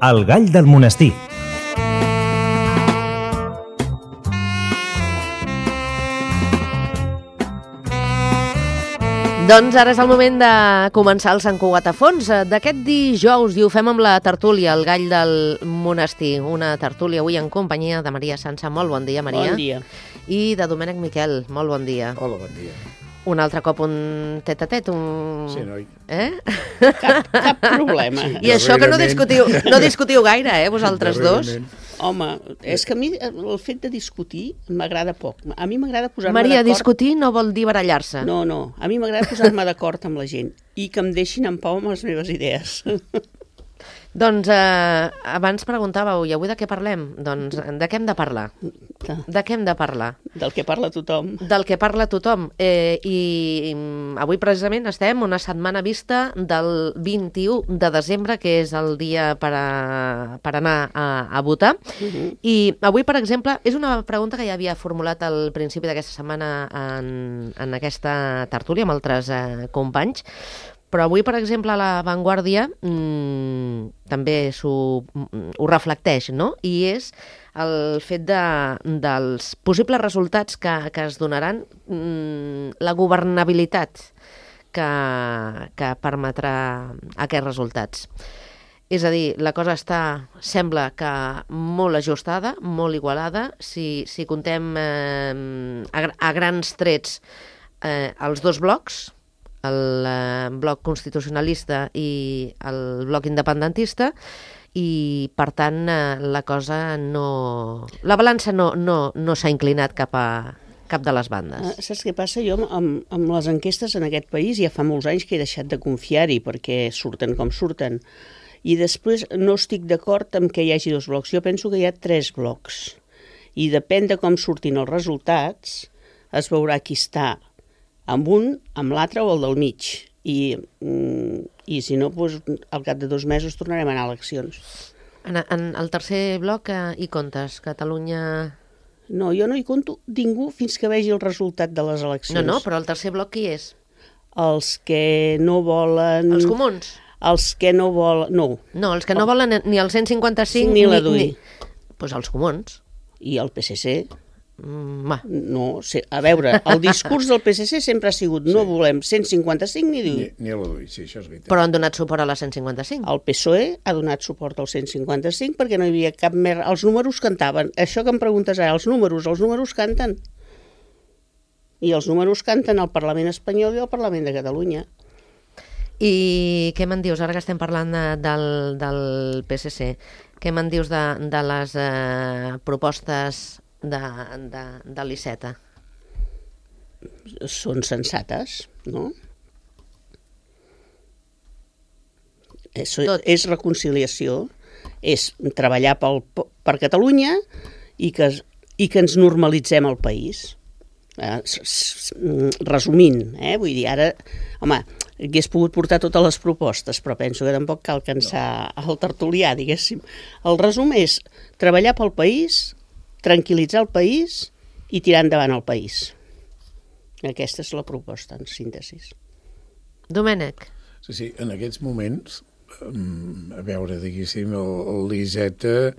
El gall del monestir. Doncs ara és el moment de començar el Sant Cugat a fons d'aquest dijous i ho fem amb la tertúlia, el gall del monestir. Una tertúlia avui en companyia de Maria Sança. Molt bon dia, Maria. Bon dia. I de Domènec Miquel. Molt bon dia. Hola, bon dia. Un altre cop un tet-a-tet, un... Sí, noi. Cap problema. I això que no discutiu gaire, vosaltres dos? Home, és que a mi el fet de discutir m'agrada poc. A mi m'agrada posar-me Maria, d'acord... discutir no vol dir barallar-se. No, a mi m'agrada posar-me d'acord amb la gent i que em deixin en pau amb les meves idees. Doncs abans preguntàveu, i avui de què parlem? Doncs de què hem de parlar? De què hem de parlar? Del que parla tothom. Del que parla tothom. I avui precisament estem una setmana vista del 21 de desembre, que és el dia per anar a votar. I avui, per exemple, és una pregunta que ja havia formulat al principi d'aquesta setmana en aquesta tertúlia amb altres companys. Però avui, per exemple, La Vanguardia també ho reflecteix, no? I és el fet dels possibles resultats que es donaran, la governabilitat que permetrà aquests resultats. És a dir, la cosa sembla que molt ajustada, molt igualada. Si contem a grans trets els dos blocs, el bloc constitucionalista i el bloc independentista, i per tant la cosa no... La balança no s'ha inclinat cap de les bandes. Saps què passa? Jo amb les enquestes en aquest país ja fa molts anys que he deixat de confiar-hi perquè surten com surten. I després no estic d'acord amb que hi hagi dos blocs. Jo penso que hi ha tres blocs. I depèn de com surtin els resultats, es veurà qui està amb un, amb l'altre o el del mig. I si no, doncs, al cap de 2 mesos tornarem a anar a eleccions. En el tercer bloc hi comptes? Catalunya... No, jo no hi compto ningú fins que vegi el resultat de les eleccions. No, però el tercer bloc qui és? Els que no volen... Els comuns? Els que no volen... No. No, els que no volen ni el 155... Ni la DUI. Doncs els comuns. I el PSC... No, a veure, el discurs del PSC sempre ha sigut no volem 155 ni DUI. Ni la DUI, sí, això és veritat. Però han donat suport a la 155. El PSOE ha donat suport al 155 perquè no hi havia cap més... Els números cantaven. Això que em preguntes ara, els números canten. I els números canten al Parlament espanyol i al Parlament de Catalunya. I què me'n dius, ara que estem parlant del PSC, què me'n dius de les propostes de l'Iceta? Són sensates, no? És reconciliació, és treballar per Catalunya i que ens normalitzem el país. Resumint, vull dir, ara, home, hagués pogut portar totes les propostes, però penso que tampoc cal cansar el tertulià, diguéssim. El resum és treballar pel país, tranquil·litzar el país i tirar endavant el país. Aquesta és la proposta, en síntesi. Domènec? Sí, en aquests moments, a veure, diguéssim, l'Iceta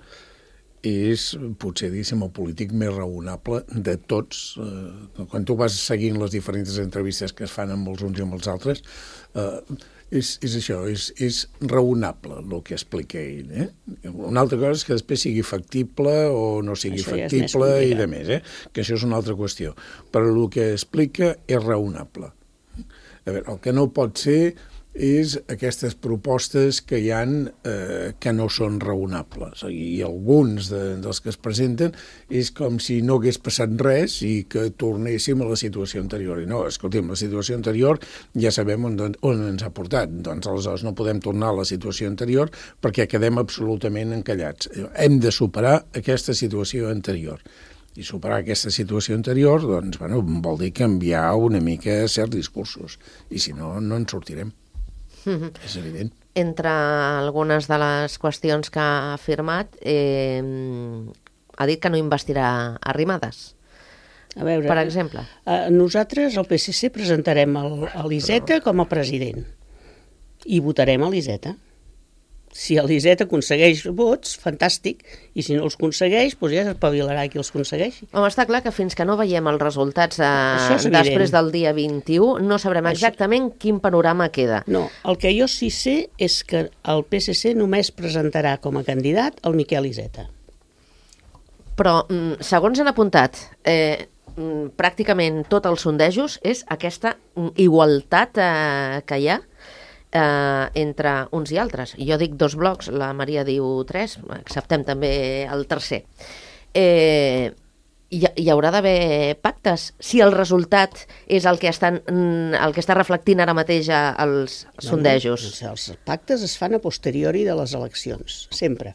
és, potser, diguéssim, el polític més raonable de tots. Quan tu vas seguint les diferents entrevistes que es fan amb els uns i amb els altres, és això, és raonable el que explica ell. Una altra cosa és que després sigui factible o no sigui això factible ja i de més, que això és una altra qüestió. Però el que explica és raonable. A veure, el que no pot ser és aquestes propostes que hi ha que no són raonables. I alguns dels que es presenten és com si no hagués passat res i que tornéssim a la situació anterior. I no, escolti'm, la situació anterior ja sabem on ens ha portat. Doncs aleshores no podem tornar a la situació anterior perquè quedem absolutament encallats. Hem de superar aquesta situació anterior. I superar aquesta situació anterior, doncs, vol dir canviar una mica certs discursos. I si no, no en sortirem. És evident. Entre algunes de les qüestions que ha afirmat, ha dit que no investirà Arrimadas. A veure, per exemple. Nosaltres, al PSC, presentarem l'Iceta com a president i votarem a l'Iceta. Si l'Iset aconsegueix vots, fantàstic, i si no els aconsegueix, doncs ja s'espavilarà qui els aconsegueixi. Home, està clar que fins que no veiem els resultats és després del dia 21 no sabrem exactament quin panorama queda. No, el que jo sí sé és que el PSC només presentarà com a candidat el Miquel Iceta. Però, segons han apuntat, pràcticament tots els sondejos és aquesta igualtat que hi ha entre uns i altres. Jo dic 2 blocs, la Maria diu 3, acceptem també el tercer. Hi haurà d'haver pactes si el resultat és el que està reflectint ara mateix els sondejos. Els pactes es fan a posteriori de les eleccions, sempre.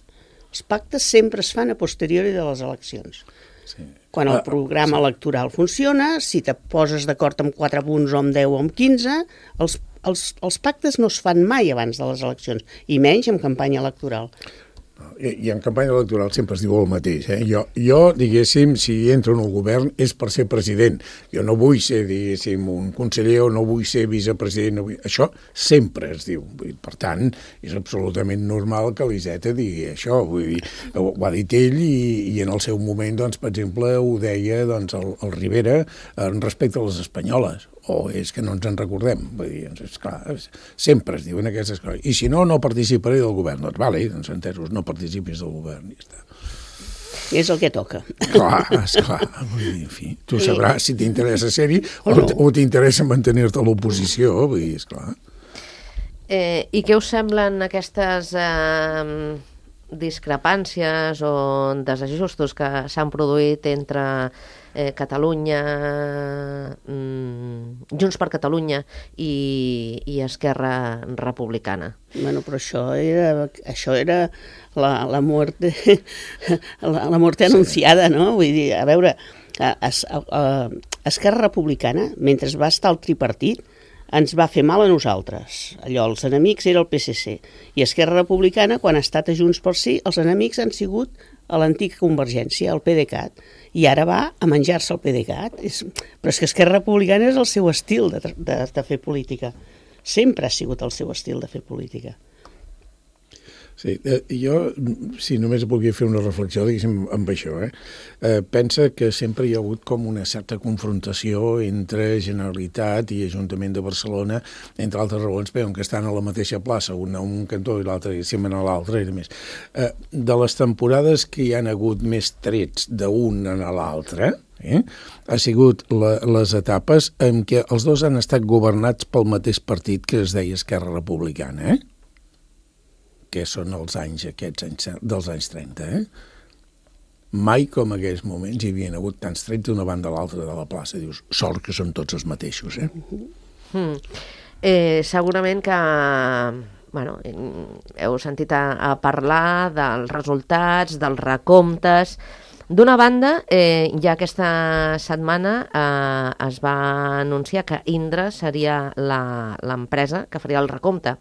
Els pactes sempre es fan a posteriori de les eleccions. Sí. Quan el programa electoral funciona, si te poses d'acord amb 4 punts o amb 10 o amb 15, els pactes no es fan mai abans de les eleccions, i menys en campanya electoral. I en campanya electoral sempre es diu el mateix. Jo, diguéssim, si entro en el govern és per ser president. Jo no vull ser, diguéssim, un conseller o no vull ser vicepresident. Això sempre es diu. Per tant, és absolutament normal que l'Iceta digui això. Vull dir, ho ha dit ell i en el seu moment, doncs, per exemple, ho deia doncs, el Rivera respecte a les espanyoles. O és que no ens en recordem. Vull dir, és clar, sempre es diuen aquestes coses. I si no, no participaré del govern. Doncs vale, doncs entesos, no participis del govern. I ja està. És el que toca. Clar, esclar. Vull dir, en fi, tu sabràs si t'interessa ser-hi o t'interessa mantenir-te a l'oposició. Vull dir, esclar. I què us semblen aquestes discrepàncies o desajustos que s'han produït entre Catalunya, Junts per Catalunya i Esquerra Republicana? Bueno, però això era la muerte anunciada, no? Vull dir, a veure, Esquerra Republicana, mentre va estar el tripartit, ens va fer mal a nosaltres. Allò, els enemics era el PSC. I Esquerra Republicana, quan ha estat a Junts pel Sí, els enemics han sigut a l'antiga Convergència, el PDeCAT, i ara va a menjar-se el PDeCAT. Però és que Esquerra Republicana és el seu estil de fer política. Sempre ha sigut el seu estil de fer política. Sí, jo, si només volia fer una reflexió, diguéssim, amb això, pensa que sempre hi ha hagut com una certa confrontació entre Generalitat i Ajuntament de Barcelona, entre altres raons, però que estan a la mateixa plaça, un a un cantó i l'altre a l'altre, i més. De les temporades que hi han hagut més trets d'un a l'altre, ha sigut les etapes en què els dos han estat governats pel mateix partit que es deia Esquerra Republicana, que són els anys aquests dels anys 30, Mai com en aquells moments hi havia hagut tants trets d'una banda a l'altra de la plaça. Dius, sort que són tots els mateixos, Segurament que heu sentit a parlar dels resultats, dels recomptes. D'una banda, ja aquesta setmana es va anunciar que Indra seria l'empresa que faria el recompte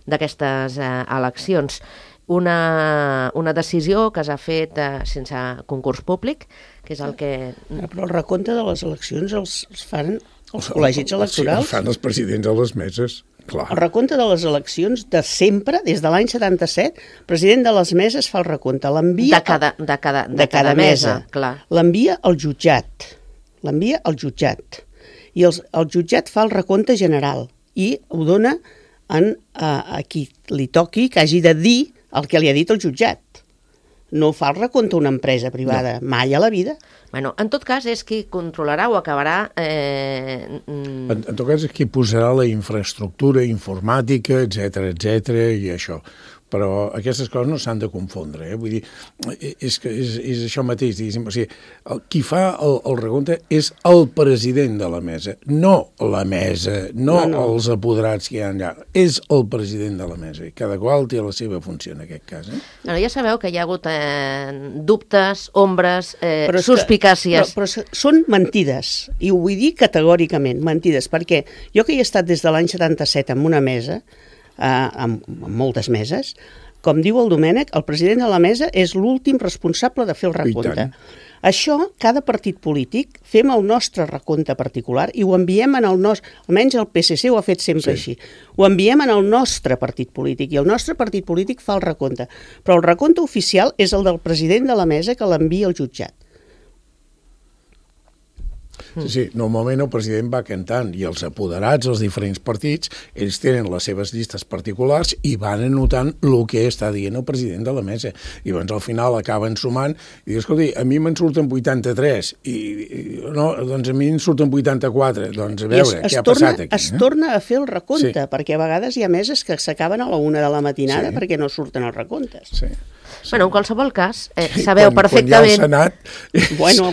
d'aquestes eleccions. Una decisió que s'ha fet sense concurs públic, que és el que... Però el recompte de les eleccions els fan els col·legis electorals. Els fan els presidents a les meses, clar. El recompte de les eleccions de sempre, des de l'any 77, el president de les meses fa el recompte. L'envia de cada mesa, clar. L'envia al jutjat. I el jutjat fa el recompte general i ho dona a qui li toqui, que hagi de dir el que li ha dit el jutjat. No fa el recompte una empresa privada, mai a la vida. Bueno, en tot cas és qui controlarà o acabarà... En tot cas és qui posarà la infraestructura informàtica, etc i això. Però aquestes coses no s'han de confondre, Vull dir, és això mateix, diguéssim. O sigui, qui fa el recompte és el president de la mesa, no la mesa, no. Els apoderats que hi ha allà. És el president de la mesa i cada qual té la seva funció en aquest cas. Ja sabeu que hi ha hagut dubtes, ombres, suspicàcies. Però són mentides, i ho vull dir categòricament, mentides, perquè jo que hi he estat des de l'any 77 en una mesa, amb moltes meses, com diu el Domènec, el president de la mesa és l'últim responsable de fer el recompte. Això, cada partit polític, fem el nostre recompte particular i ho enviem en el nostre... Almenys el PSC ho ha fet sempre així. Ho enviem en el nostre partit polític i el nostre partit polític fa el recompte. Però el recompte oficial és el del president de la mesa que l'envia al jutjat. Sí, normalment el president va cantant i els apoderats dels diferents partits, ells tenen les seves llistes particulars i van anotant el que està dient el president de la mesa. I llavors al final acaben sumant i diuen, escolti, a mi me'n surten 83 i no, doncs a mi en surten 84. Doncs a veure, què ha passat aquí? Es torna a fer el recompte, perquè a vegades hi ha meses que s'acaben a la 1 de la matinada perquè no surten els recomptes. Sí. Bueno, en qualsevol cas, sabeu perfectament... Quan hi ha el Senat...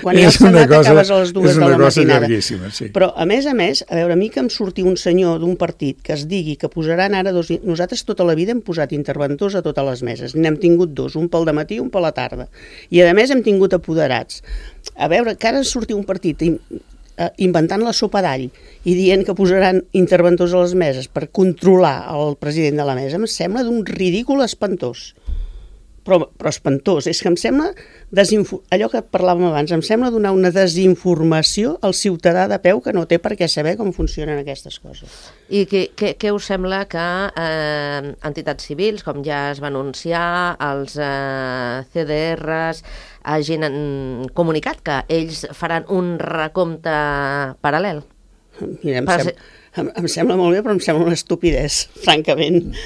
Quan hi ha el Senat acabes a les 2 de la matinada. És una cosa llarguíssima, sí. Però, a més, a veure, a mi que em surti un senyor d'un partit que es digui que posaran ara dos... Nosaltres tota la vida hem posat interventors a totes les meses. N'hem tingut 2, un pel dematí i un per la tarda. I, a més, hem tingut apoderats. A veure, que ara surti un partit inventant la sopa d'all i dient que posaran interventors a les meses per controlar el president de la mesa, em sembla d'un ridícul espantós. Però espantós. És que em sembla, allò que parlàvem abans, em sembla donar una desinformació al ciutadà de peu que no té per què saber com funcionen aquestes coses. I què us sembla que entitats civils, com ja es va anunciar, els CDRs, hagin comunicat que ells faran un recompte paral·lel? Mira, em sembla molt bé, però em sembla una estupidesa, francament.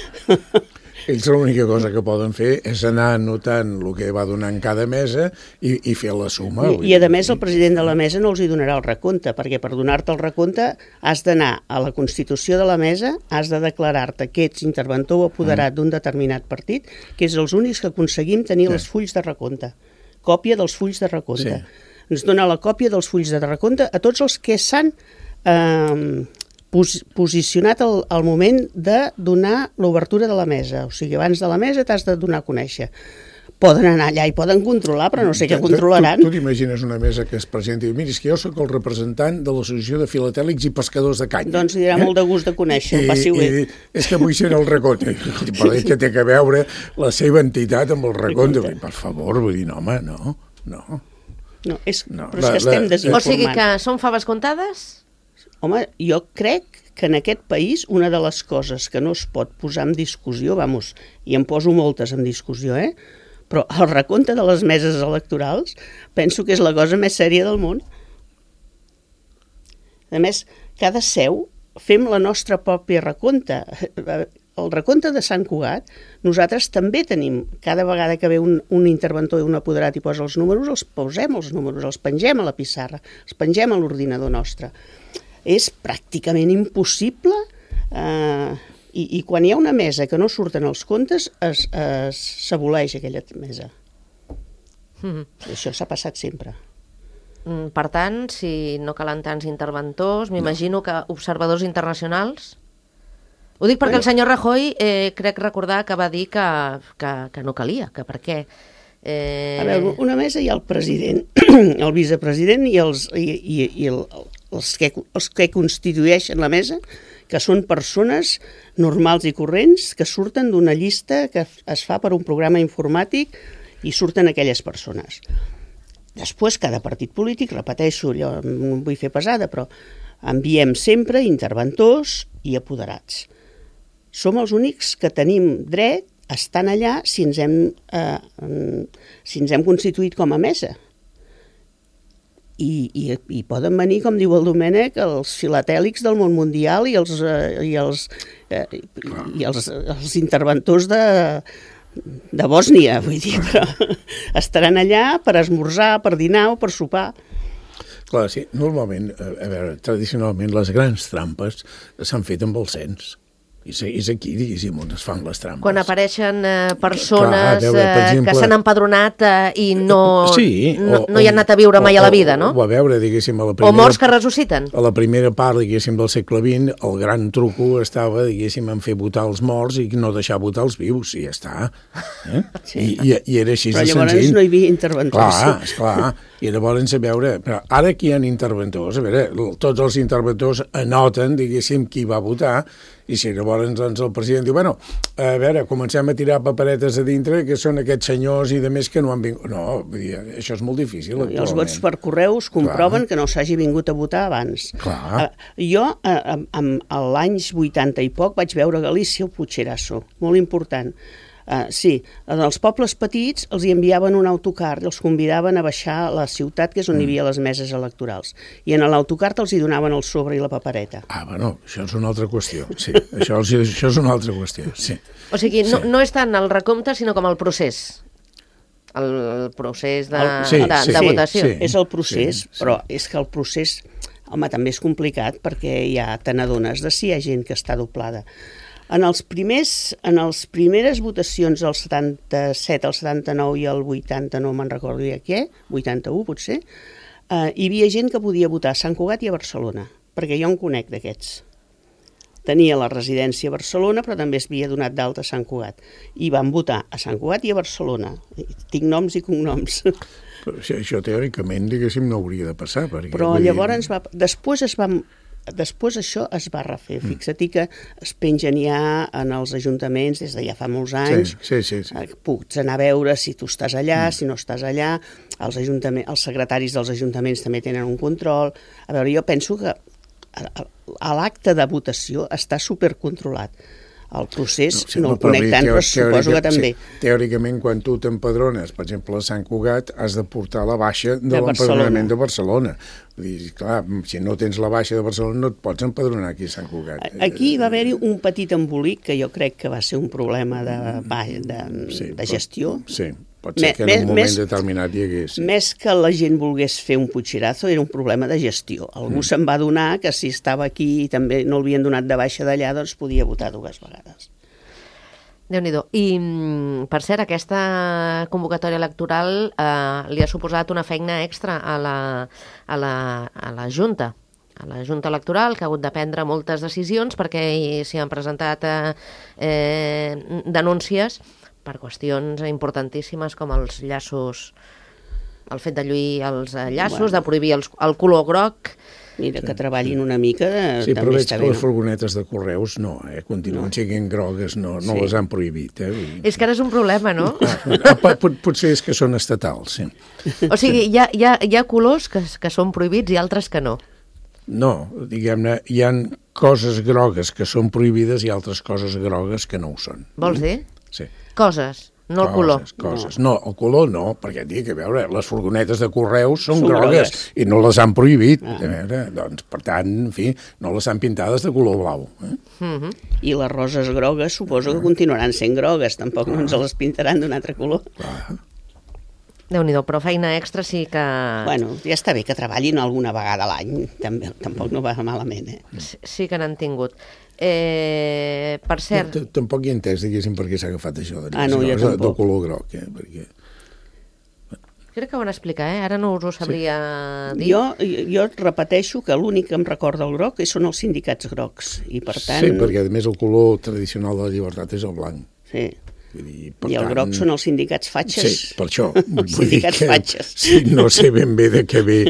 Ells l'única cosa que poden fer és anar anotant el que va donant cada mesa i fer la suma. I a més el president de la mesa no els hi donarà el recompte, perquè per donar-te el recompte has d'anar a la Constitució de la mesa, has de declarar-te que ets interventor o apoderat d'un determinat partit, que és els únics que aconseguim tenir els fulls de recompte. Còpia dels fulls de recompte. Ens dona la còpia dels fulls de recompte a tots els que s'han posicionat al moment de donar l'obertura de la mesa. O sigui, abans de la mesa t'has de donar a conèixer. Poden anar allà i poden controlar, però no sé què controlaran. Tu t'imagines una mesa que es presenti i mira, és que jo sóc el representant de l'Associació de Filatèlics i Pescadors de Canya. Doncs dirà molt de gust de conèixer, passi-ho bé. És que vull ser el recompte. Però és que té que veure la seva entitat amb el recompte. Per favor, vull dir, no, home, no. Però és que estem desinformant. O sigui que són faves comptades? Home, jo crec que en aquest país una de les coses que no es pot posar en discussió, i em poso moltes en discussió, però el recompte de les meses electorals penso que és la cosa més sèria del món. A més, cada seu fem la nostra pròpia recompte. El recompte de Sant Cugat, nosaltres també tenim, cada vegada que ve un interventor i un apoderat i posa els números, els posem els números, els pengem a la pissarra, els pengem a l'ordinador nostre. És pràcticament impossible i quan hi ha una mesa que no surten els comptes s'aboleix aquella mesa. Això s'ha passat sempre. Per tant, si no calen tants interventors, m'imagino que observadors internacionals... Ho dic perquè el senyor Rajoy crec recordar que va dir que no calia, que per què... A veure, una mesa hi ha el president, el vicepresident i els que constitueixen la mesa, que són persones normals i corrents que surten d'una llista que es fa per un programa informàtic i surten aquelles persones. Després, cada partit polític, repeteixo, no vull fer pesada, però enviem sempre interventors i apoderats. Som els únics que tenim dret a estar allà si ens hem constituït com a mesa. I poden venir, com diu el Domènec, els filatèlics del món mundial i els interventors de Bòsnia, vull dir, però estaran allà per esmorzar, per dinar o per sopar. Clar, sí, normalment, a veure, tradicionalment les grans trampes s'han fet amb el cens. I és aquí, diguéssim, on es fan les trampes. Quan apareixen persones que s'han empadronat i no hi han anat a viure mai a la vida, no? O a veure, diguéssim, o morts que ressusciten. A la primera part, diguéssim, del segle XX, el gran truco estava, diguéssim, en fer votar els morts i no deixar votar els vius, i ja està. I era així de senzill. Però llavors no hi havia interventors. Clar, I llavors, a veure, però ara que hi ha interventors, a veure, tots els interventors anoten, diguéssim, qui va votar, i si llavors doncs, el president diu, bueno, a veure, comencem a tirar paperetes a dintre, que són aquests senyors i de més que no han vingut. No, vull dir, això és molt difícil, actualment. I els vots per correus comproven que no s'hagi vingut a votar abans. Jo, l'any 80 i poc, vaig veure a Galícia el Puigcerasso, molt important. Sí, als pobles petits els hi enviaven un autocar i els convidaven a baixar a la ciutat, que és on hi havia les meses electorals. I en l'autocar els hi donaven el sobre i la papereta. Bueno, això és una altra qüestió, sí. Això és una altra qüestió, sí. O sigui, no és tant el recompte, sinó com el procés. El procés de votació. Sí, és el procés, però és que el procés, home, també és complicat perquè ja te n'adones de si hi ha gent que està doblada. En les primeres votacions, el 77, el 79 i el 80, no me'n recordo ja què, 81 potser, hi havia gent que podia votar a Sant Cugat i a Barcelona, perquè jo en conec d'aquests. Tenia la residència a Barcelona, però també es havia donat d'alta a Sant Cugat. I van votar a Sant Cugat i a Barcelona. Tinc noms i cognoms. Però això teòricament, diguéssim, no hauria de passar. Però llavors, després això es va refer. Fixa't que es pengen ja en els ajuntaments des de ja fa molts anys. Sí. Pots anar a veure si tu estàs allà, si no estàs allà. Els secretaris dels ajuntaments també tenen un control. A veure, jo penso que l'acte de votació està supercontrolat. El procés no el conec tant, però suposo que també. Teòricament, quan tu t'empadrones, per exemple, a Sant Cugat, has de portar la baixa de l'empadronament de Barcelona. Vull dir, clar, si no tens la baixa de Barcelona no et pots empadronar aquí a Sant Cugat. Aquí va haver-hi un petit embolic que jo crec que va ser un problema de gestió. Sí, pot ser que en un moment determinat hi hagués. Més que la gent volgués fer un Puigcerasso, era un problema de gestió. Algú se'n va adonar que si estava aquí i també no l'havien donat de baixa d'allà, doncs podia votar 2 vegades. Déu-n'hi-do. I, per cert, aquesta convocatòria electoral li ha suposat una feina extra a la Junta. A la Junta Electoral, que ha hagut de prendre moltes decisions perquè s'hi han presentat denúncies per qüestions importantíssimes com els llaços, el fet de lluir els llaços, de prohibir el color groc. Mira, que treballin una mica, sí, però també veig està que bé. les furgonetes de correus continuen sent grogues, no les han prohibit. És que ara és un problema, no? Potser és que són estatals, sí. O sigui, hi ha colors que són prohibits i altres que no. No, diguem-ne, hi ha coses grogues que són prohibides i altres coses grogues que no ho són. Vols dir? Sí. Coses, no el color. Coses. No, el color no, perquè et dic, a veure, les furgonetes de correus són grogues i no les han prohibit. A veure, doncs, per tant, en fi, no les han pintades de color blau. I les roses grogues suposo que continuaran sent grogues, tampoc no ens les pintaran d'un altre color. Déu-n'hi-do, però feina extra sí que... Bueno, ja està bé que treballin alguna vegada a l'any, tampoc no va malament, Sí que n'han tingut. Per cert... Tampoc hi he entès, diguéssim, per què s'ha agafat això de color groc, perquè... Crec que ho van explicar, ara no us ho sabria dir. Jo repeteixo que l'únic que em recorda el groc són els sindicats grocs, i per tant... Sí, perquè a més el color tradicional de la llibertat és el blanc. Sí. I el groc són els sindicats fatxes. Sí, per això. Sindicats fatxes. Sí, no sé ben bé de què ve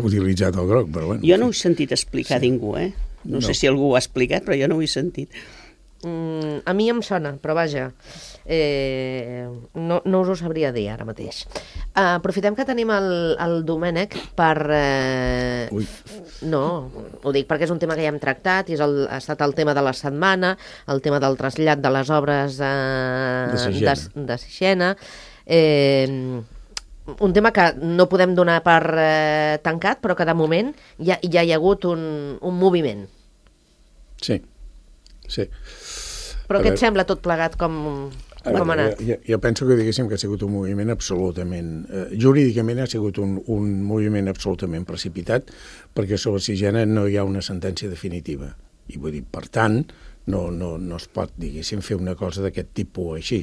utilitzat el groc, però bueno. Jo no ho he sentit explicar a ningú, No sé si algú ho ha explicat, però jo no ho he sentit. A mi em sona, però vaja, no us ho sabria dir ara mateix. Aprofitem que tenim el Domènec per... No, ho dic perquè és un tema que ja hem tractat i ha estat el tema de la setmana, el tema del trasllat de les obres de Sixena. Un tema que no podem donar per tancat, però que de moment ja hi ha hagut un moviment. Sí. Però què et sembla tot plegat com ha anat? Jo penso que diguéssim que ha sigut un moviment absolutament... Jurídicament ha sigut un moviment absolutament precipitat, perquè sobre Sixena no hi ha una sentència definitiva. I vull dir, per tant, no es pot, diguéssim, fer una cosa d'aquest tipus així.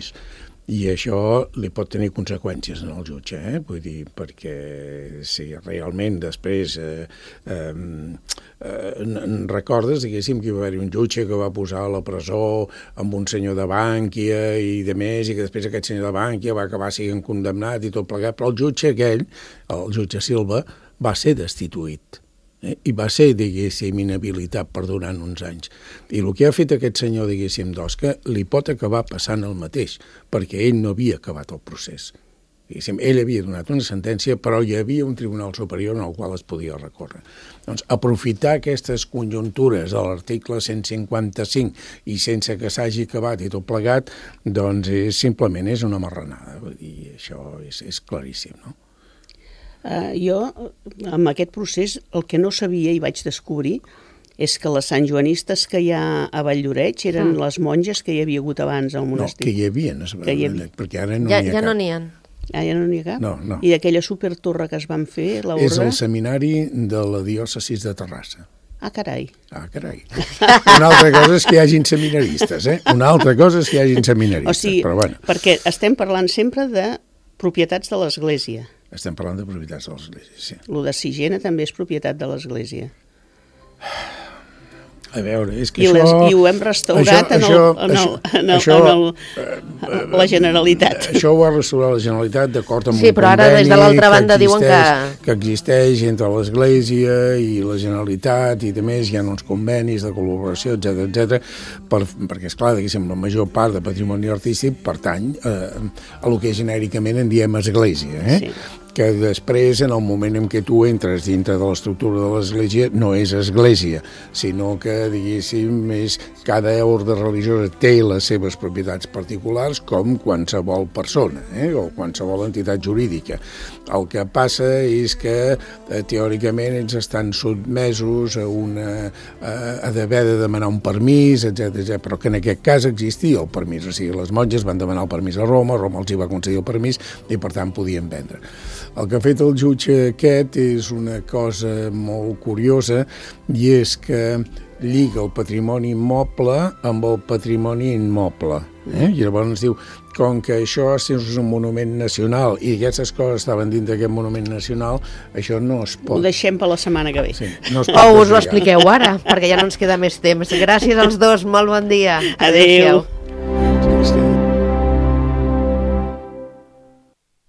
I això li pot tenir conseqüències en el jutge, vull dir, perquè si realment després recordes, diguéssim, que hi va haver un jutge que va posar a la presó amb un senyor de Bànquia i de més, i que després aquest senyor de Bànquia va acabar sent condemnat i tot plegat, però el jutge aquell, el jutge Silva, va ser destituït. I va ser, diguéssim, inhabilitat per durant uns anys. I el que ha fet aquest senyor, diguéssim, d'Osca, li pot acabar passant el mateix, perquè ell no havia acabat el procés. Diguéssim, ell havia donat una sentència, però hi havia un tribunal superior en el qual es podia recórrer. Doncs aprofitar aquestes conjuntures de l'article 155 i sense que s'hagi acabat i tot plegat, doncs simplement és una marranada. Vull dir, això és claríssim, no? Jo, amb aquest procés, el que no sabia i vaig descobrir és que les santjoanistes que hi ha a Valldoreix eren les monges que hi havia hagut abans al monestir. No, que hi havia, perquè ara no n'hi ha cap. Ja no n'hi ha. Ja no n'hi ha cap? No. I aquella supertorre que es van fer, la És Orga? el seminari de la diòcesis de Terrassa. Ah, carai. Una altra cosa és que hi hagin seminaristes, Una altra cosa és que hi hagin seminaristes, O sigui, però bueno. perquè estem parlant sempre de propietats de l'Església. Estem parlant de propietats de l'Església, sí. Lo de Sigena també és propietat de l'Església. A veure, és que I això... I ho hem restaurat en la Generalitat. Això ho ha restaurat la Generalitat d'acord amb un conveni... Sí, però ara des de l'altra banda diuen que existeix entre l'Església i la Generalitat i, a més, hi ha uns convenis de col·laboració, etc perquè, esclar, diguéssim, la major part de patrimoni artístic pertany a el que genèricament en diem Església, Sí. Que després, en el moment en què tu entres dintre de l'estructura de l'Església, no és Església, sinó que, diguéssim, cada ordre religiosa té les seves propietats particulars com qualsevol persona, o qualsevol entitat jurídica. El que passa és que, teòricament, ells estan sotmesos a d'haver de demanar un permís, etc, però que en aquest cas existia el permís. O sigui, les monges van demanar el permís a Roma els hi va concedir el permís i, per tant, podien vendre. El que ha fet el jutge aquest és una cosa molt curiosa i és que lliga el patrimoni immoble amb el patrimoni immoble. I llavors diu, com que això és un monument nacional i aquestes coses estaven dins d'aquest monument nacional, això no es pot... Ho deixem per la setmana que ve. Sí, no o us ho expliqueu ara, perquè ja no ens queda més temps. Gràcies als dos, molt bon dia. Adéu.